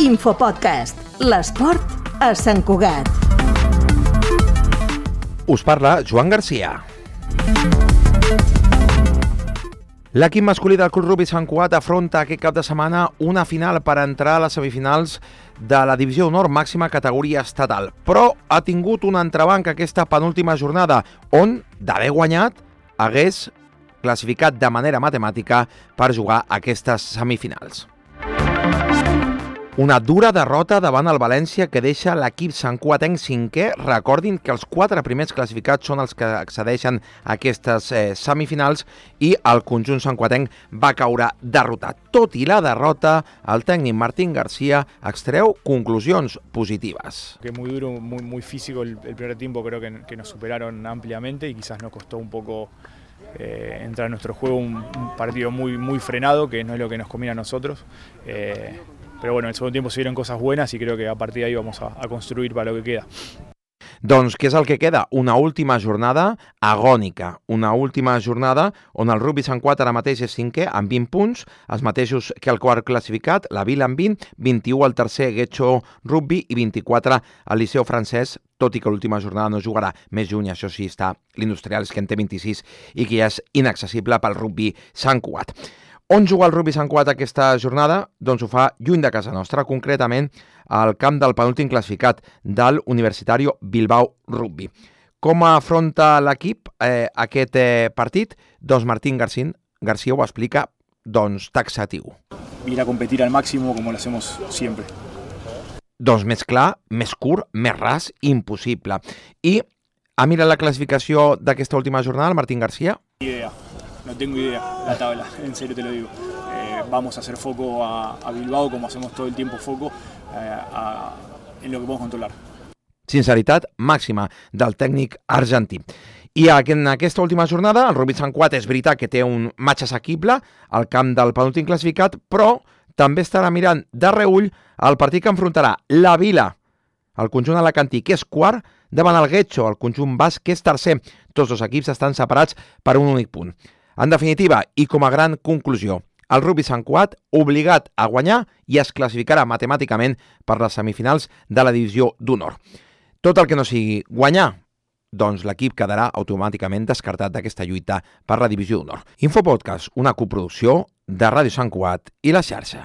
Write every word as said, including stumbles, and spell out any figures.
Infopodcast, l'esport a Sant Cugat. Us parla Joan Garcia. L'equip masculí del Club Rugby Sant Cugat afronta aquest cap de setmana una final per entrar a les semifinals de la Divisió d'Honor màxima categoria estatal, però ha tingut un entrebanc aquesta penúltima jornada, on, d'haver guanyat, hagués classificat de manera matemàtica per jugar aquestes semifinals. Una dura derrota davant el València que deixa l'equip santcugatenc cinquè. Recordin que els quatre primers classificats són els que accedeixen a aquestes eh, semifinals i el conjunt santcugatenc va caure derrotat. Tot i la derrota, el tècnic Martín García extreu conclusions positives. Que muy duro, muy, muy físico el, el primer tiempo, creo que, que nos superaron ampliamente y quizás nos costó un poco eh, entrar a nuestro juego, un, un partido muy, muy frenado, que no es lo que nos conviene a nosotros. Eh, Pero bueno, en el segundo tiempo se vieron cosas buenas y creo que a partir de ahí vamos a, a construir para lo que queda. Doncs què és el que queda? Una última jornada agònica, una última jornada on el Rugby Sant Cugat ara mateix és cinquè amb vint punts, els mateixos que el quart classificat, la Vila amb vint, vint-i-u el tercer Guecho Rugby i vint-i-quatre el Liceu Francès, tot i que l'última jornada no jugarà més lluny, això sí està l'Industrials que en té vint-i-sis i que ja és inaccessible pel Rugby Sant Cugat. On juga el Rugby Sant Cugat aquesta jornada? Doncs ho fa lluny de casa nostra, concretament al camp del penúltim classificat del Universitario Bilbao Rugby. Com afronta l'equip eh, aquest eh, partit? Doncs Martín García, García ho explica doncs, taxatiu. Ir a competir al máximo como lo hacemos siempre. Doncs més clar, més curt, més ras, impossible. I ha mirat la classificació d'aquesta última jornada, el Martín García? Idea. No tengo idea la tabla, en serio te lo digo. Eh, vamos a hacer foco a, a Bilbao, como hacemos todo el tiempo foco, eh, a, en lo que podemos controlar. Sinceritat màxima del tècnic argentí. I en aquesta última jornada, el Rugby Sant Cugat és veritat que té un matx assequible al camp del penúltim classificat, però també estarà mirant de reull el partit que enfrontarà la Vila, el conjunt alacantí, que és quart, davant el Guecho, el conjunt basc, que és tercer. Tots dos equips estan separats per un únic punt. En definitiva, i com a gran conclusió, el Rugby Sant Cugat obligat a guanyar i es classificarà matemàticament per les semifinals de la Divisió d'Honor. Tot el que no sigui guanyar, doncs l'equip quedarà automàticament descartat d'aquesta lluita per la Divisió d'Honor. Infopodcast, una coproducció de Ràdio Sant Cugat i La Xarxa.